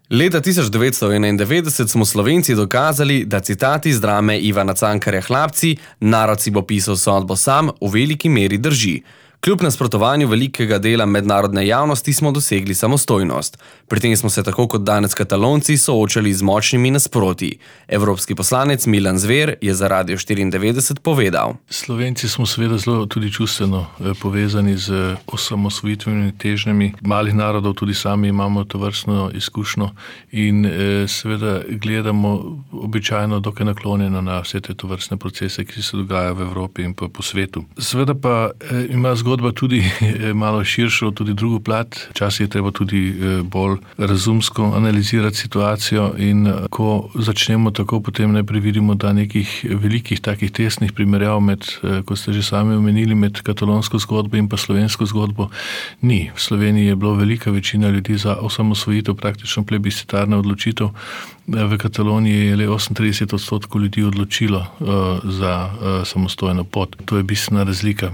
Leta 1991 smo Slovenci dokazali, da citati iz drame Ivana Cankarja Hlapci, narod si bo pisal sodbo sam, v veliki meri drži. Kljub nasprotovanju velikega dela mednarodne javnosti smo dosegli samostojnost. Pri tem smo se tako kot danes Katalonci soočali z močnimi nasprotji. Evropski poslanec Milan Zver je za Radio 94 povedal. Slovenci smo seveda zelo tudi čustveno povezani z osamosvojitvenimi težnjami malih narodov, tudi sami imamo tovrstno izkušnjo in seveda gledamo običajno dokaj naklonjeno na vse te tovrstne procese, ki se dogajajo v Evropi in pa po svetu. Seveda pa ima zgodba tudi malo širšo, tudi drugo plat. Včasih je treba tudi bolj razumsko analizirati situacijo in ko začnemo tako, potem najprej vidimo, da nekih velikih takih tesnih primerjav med, kot ste že sami omenili, med katalonsko zgodbo in pa slovensko zgodbo ni. V Sloveniji je bilo velika večina ljudi za osamosvojitev, praktično plebiscitarna odločitev. V Kataloniji je le 38% ljudi odločilo za samostojno pot. To je bistvena razlika.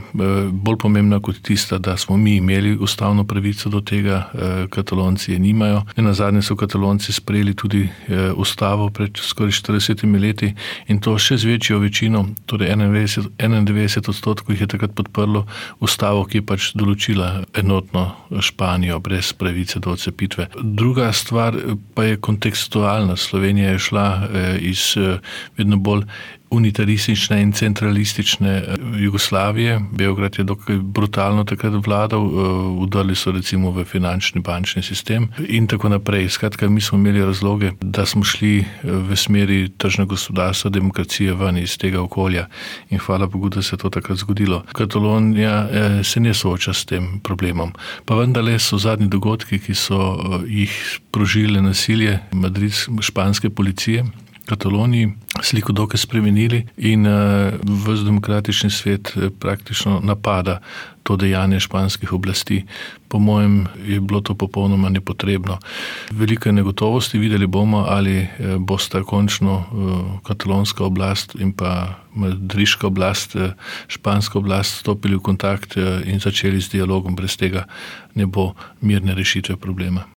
Bolj pomembna kot tista, da smo mi imeli ustavno pravico do tega, Katalonci je nimajo. Nazadnje so Katalonci sprejeli tudi ustavo pred skoraj 40 leti in to še z večjo večino, torej 91% jih je takrat podprlo ustavo, ki je pač določila enotno Španijo brez pravice do odcepitve. Druga stvar pa je kontekstualna. Slovenija je šla iz vedno bolj unitaristične in centralistične Jugoslavije. Beograd je dokaj brutalno takrat vladal, vdrli so recimo v finančni bančni sistem in tako naprej. Skratka, mi smo imeli razloge, da smo šli v smeri tržnega gospodarstva, demokracije ven iz tega okolja in hvala Bogu, da se je to takrat zgodilo. Katalonija se ne sooča s tem problemom. Pa vendarle so zadnji dogodki, ki so jih sprožile nasilje španske policije, Kataloniji sliko dokaj spremenili in ves demokratični svet praktično napada to dejanje španskih oblasti. Po mojem je bilo to popolnoma nepotrebno. Veliko je negotovosti, videli bomo, ali bosta končno katalonska oblast in pa madridska oblast, španska oblast stopili v kontakt in začeli z dialogom. Brez tega ne bo mirne rešitve problema.